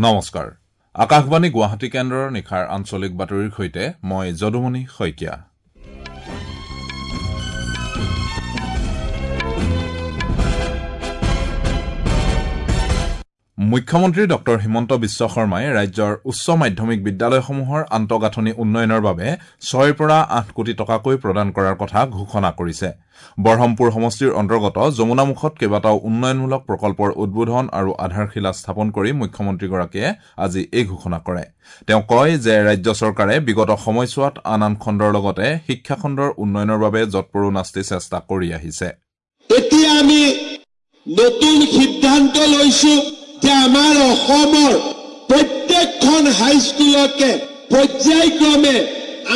নমস্কাৰ। আকাশবাণী গুৱাহাটী কেন্দ্ৰৰ নিশাৰ আঞ্চলিক বাতৰিৰ সৈতে মই যদুমণি শইকীয়া। মুখ্যমন্ত্ৰী ডক্টৰ হিমন্ত বিশ্ব শৰ্মাই ৰাজ্যৰ উচ্চ মাধ্যমিক বিদ্যালয়সমূহৰ আন্তঃগাঁথনি উন্নয়নৰ বাবে 6ৰ পৰা 8 কোটি টকাকৈ প্ৰদান কৰাৰ কথা ঘোষণা কৰিছে। বৰহমপুৰ সমষ্টিৰ অন্তৰ্গত যমুনামুখত কেইবাটাও উন্নয়নমূলক প্ৰকল্পৰ উদ্বোধন আৰু আধাৰশিলা স্থাপন কৰি মুখ্যমন্ত্ৰীগৰাকীয়ে আজি এই ঘোষণা কৰে। তেওঁ কয় যে ৰাজ্য চৰকাৰে বিগত সময়ছোৱাত আন আন খণ্ডৰ লগতে শিক্ষাখণ্ডৰ উন্নয়নৰ বাবে যৎপৰোনাস্তি চেষ্টা কৰি আহিছে। এতিয়া আমি নতুন সিদ্ধান্ত লৈছো যে আমাৰ অসমৰ প্ৰত্যেকখন হাইস্কুলকে পৰ্যায়ক্ৰমে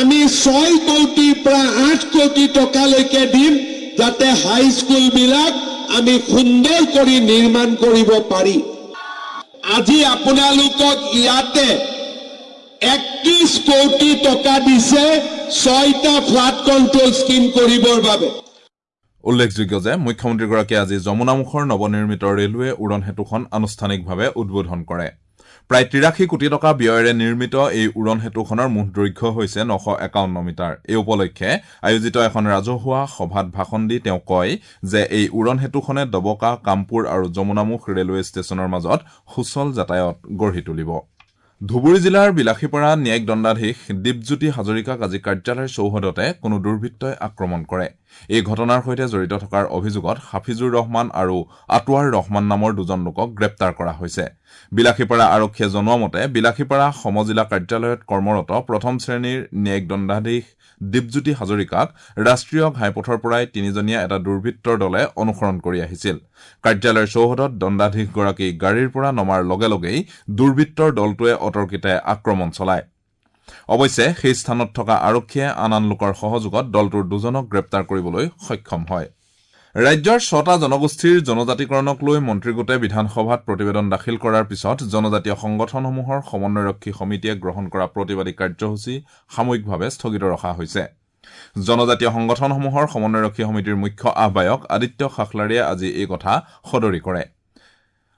আমি 6 কোটিৰ পৰা 8 কোটি টকালৈকে দিম, যাতে হাইস্কুলবিলাক আমি সুন্দৰ কৰি নিৰ্মাণ কৰিব পাৰি। আজি আপোনালোকক ইয়াতে 31 কোটি টকা দিছে 6টা ফ্লাড কণ্ট্ৰল স্কীম কৰিবৰ বাবে। উল্লেখযোগ্য যে মুখ্যমন্ত্ৰীগৰাকীয়ে আজি যমুনামুখৰ নৱনিৰ্মিত ৰেলৱে উৰণ সেতুখন আনুষ্ঠানিকভাৱে উদ্বোধন কৰে। প্ৰায় 83 কোটি টকা ব্যয়েৰে নিৰ্মিত এই উৰণ সেতুখনৰ মুঠ দৈৰ্ঘ্য হৈছে 951 মিটাৰ। এই উপলক্ষে আয়োজিত এখন ৰাজহুৱা সভাত ভাষণ দি তেওঁ কয় যে এই উৰণ সেতুখনে ডবকা, কামপুৰ আৰু যমুনামুখ ৰেলৱে ষ্টেচনৰ মাজত সুচল যাতায়াত গঢ়ি তুলিব। ধুবুৰী জিলাৰ বিলাসীপাৰা ন্যায়িক দণ্ডাধীশ দীপজ্যোতি হাজৰিকাক আজি কাৰ্যালয়ৰ চৌহদতে কোনো দুৰ্বৃত্তই আক্ৰমণ কৰে। এই ঘটনাৰ সৈতে জড়িত থকাৰ অভিযোগত হাফিজুৰ ৰহমান আৰু আটোৱাৰ ৰহমান নামৰ দুজন লোকক গ্ৰেপ্তাৰ কৰা হৈছে। বিলাসীপাৰা আৰক্ষীয়ে জনোৱা মতে বিলাসীপাৰা সমজিলা কাৰ্যালয়ত কৰ্মৰত প্ৰথম শ্ৰেণীৰ ন্যায়িক দণ্ডাধীশ দীপজ্যোতি হাজৰিকাক ৰাষ্ট্ৰীয় ঘাইপথৰ পৰাই তিনিজনীয়া এটা দুৰ্বৃত্তৰ দলে অনুসৰণ কৰি আহিছিল। কাৰ্যালয়ৰ চৌহদত দণ্ডাধীশগৰাকী গাড়ীৰ পৰা নমাৰ লগে লগেই দুৰ্বৃত্তৰ দলটোৱে অতৰ্কিতে আক্ৰমণ চলায়। অৱশ্যে সেই স্থানত থকা আৰক্ষীয়ে আন আন লোকৰ সহযোগত দলটোৰ দুজনক গ্ৰেপ্তাৰ কৰিবলৈ সক্ষম হয়। ৰাজ্যৰ 6টা জনগোষ্ঠীৰ জনজাতিকৰণক লৈ মন্ত্ৰীগোটে বিধানসভাত প্ৰতিবেদন দাখিল কৰাৰ পিছত জনজাতীয় সংগঠনসমূহৰ সমন্বয়ৰক্ষী সমিতিয়ে গ্ৰহণ কৰা প্ৰতিবাদী কাৰ্যসূচী সাময়িকভাৱে স্থগিত ৰখা হৈছে। জনজাতীয় সংগঠনসমূহৰ সমন্বয়ৰক্ষী সমিতিৰ মুখ্য আহ্বায়ক আদিত্য খাখলাৰীয়ে আজি এই কথা সদৰি কৰে।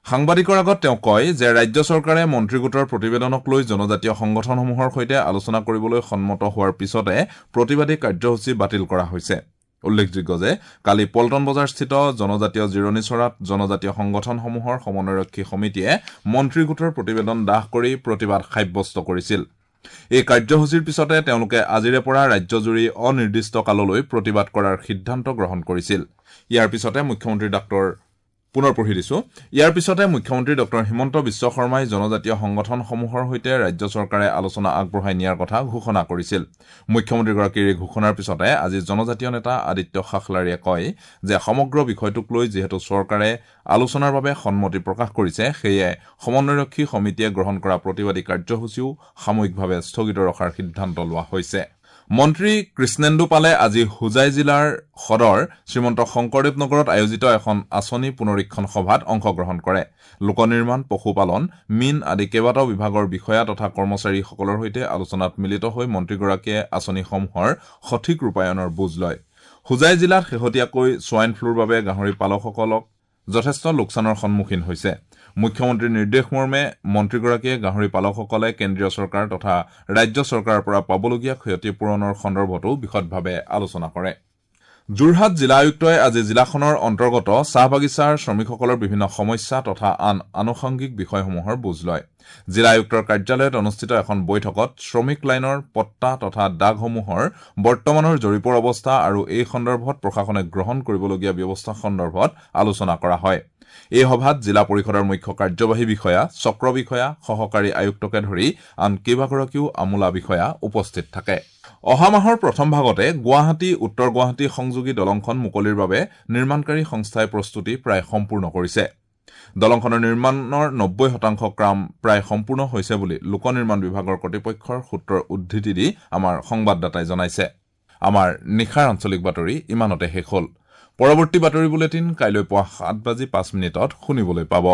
সাংবাদিকৰ আগত তেওঁ কয় যে ৰাজ্য চৰকাৰে মন্ত্ৰীগোটৰ প্ৰতিবেদনক লৈ জনজাতীয় সংগঠনসমূহৰ সৈতে আলোচনা কৰিবলৈ সন্মত হোৱাৰ পিছতে প্ৰতিবাদী কাৰ্যসূচী বাতিল কৰা হৈছে। উল্লেখযোগ্য যে কালি পল্টন বজাৰস্থিত জনজাতীয় জিৰণি চৰাত জনজাতীয় সংগঠনসমূহৰ সমন্বয়ৰক্ষী সমিতিয়ে মন্ত্ৰীগোটৰ প্ৰতিবেদন দাহ কৰি প্ৰতিবাদ সাব্যস্ত কৰিছিল। এই কাৰ্যসূচীৰ পিছতে তেওঁলোকে আজিৰে পৰা ৰাজ্যজুৰি অনিৰ্দিষ্ট কাললৈ প্ৰতিবাদ কৰাৰ সিদ্ধান্ত গ্ৰহণ কৰিছিল। ইয়াৰ পিছতে মুখ্যমন্ত্ৰী ডক্টৰ হিমন্ত বিশ্ব শৰ্মাই জনজাতীয় সংগঠনসমূহৰ সৈতে ৰাজ্য চৰকাৰে আলোচনা আগবঢ়াই নিয়াৰ কথা ঘোষণা কৰিছিল। মুখ্যমন্ত্ৰীগৰাকীৰ এই ঘোষণাৰ পিছতে আজি জনজাতীয় নেতা আদিত্য খাখলাৰীয়ে কয় যে সমগ্ৰ বিষয়টোক লৈ যিহেতু চৰকাৰে আলোচনাৰ বাবে সন্মতি প্ৰকাশ কৰিছে, সেয়ে সমন্বয়ৰক্ষী সমিতিয়ে গ্ৰহণ কৰা প্ৰতিবাদী কাৰ্যসূচীও সাময়িকভাৱে স্থগিত ৰখাৰ সিদ্ধান্ত লোৱা হৈছে। মন্ত্ৰী কৃষ্ণেন্দু পালে আজি হোজাই জিলাৰ সদৰ শ্ৰীমন্ত শংকৰদেৱ নগৰত আয়োজিত এখন আঁচনি পুনৰীক্ষণ সভাত অংশগ্ৰহণ কৰে। লোক নিৰ্মাণ, পশুপালন, মীন আদি কেইবাটাও বিভাগৰ বিষয়া তথা কৰ্মচাৰীসকলৰ সৈতে আলোচনাত মিলিত হৈ মন্ত্ৰীগৰাকীয়ে আঁচনিসমূহৰ সঠিক ৰূপায়ণৰ বুজ লয়। হোজাই জিলাত শেহতীয়াকৈ ছোৱাইন ফ্লুৰ বাবে গাহৰি পালকসকলক যথেষ্ট লোকচানৰ সন্মুখীন হৈছে। মুখ্যমন্ত্ৰীৰ নিৰ্দেশ মৰ্মে মন্ত্ৰীগৰাকীয়ে গাহৰি পালকসকলে কেন্দ্ৰীয় চৰকাৰ তথা ৰাজ্য চৰকাৰৰ পৰা পাবলগীয়া ক্ষতিপূৰণৰ সন্দৰ্ভতো বিশদভাৱে আলোচনা কৰে। যোৰহাট জিলা আয়ুক্তই আজি জিলাখনৰ অন্তৰ্গত চাহ বাগিচাৰ শ্ৰমিকসকলৰ বিভিন্ন সমস্যা তথা আন আনুষংগিক বিষয়সমূহৰ বুজ লয়। জিলা আয়ুক্তৰ কাৰ্যালয়ত অনুষ্ঠিত এখন বৈঠকত শ্ৰমিক লাইনৰ পট্টা তথা দাগসমূহৰ বৰ্তমানৰ জৰীপৰ অৱস্থা আৰু এই সন্দৰ্ভত প্ৰশাসনে গ্ৰহণ কৰিবলগীয়া ব্যৱস্থা সন্দৰ্ভত আলোচনা কৰা হয়। এই সভাত জিলা পৰিষদৰ মুখ্য কাৰ্যবাহী বিষয়া, চক্ৰ বিষয়া, সহকাৰী আয়ুক্তকে ধৰি আন কেইবাগৰাকীও আমোলা বিষয়া উপস্থিত থাকে। অহা মাহৰ প্ৰথম ভাগতে গুৱাহাটী উত্তৰ গুৱাহাটী সংযোগী দলংখন মুকলিৰ বাবে নিৰ্মাণকাৰী সংস্থাই প্ৰস্তুতি প্ৰায় সম্পূৰ্ণ কৰিছে। দলংখনৰ নিৰ্মাণৰ 90% কাম প্ৰায় সম্পূৰ্ণ হৈছে বুলি লোক নিৰ্মাণ বিভাগৰ কৰ্তৃপক্ষৰ সূত্ৰৰ উদ্ধৃতি দি আমাৰ সংবাদদাতাই জনাইছে। আমাৰ নিশাৰ আঞ্চলিক বাতৰি ইমানতে শেষ হ'ল। পৰৱৰ্তী বাতৰি বুলেটিন কাইলৈ পুৱা 7:05 শুনিবলৈ পাব।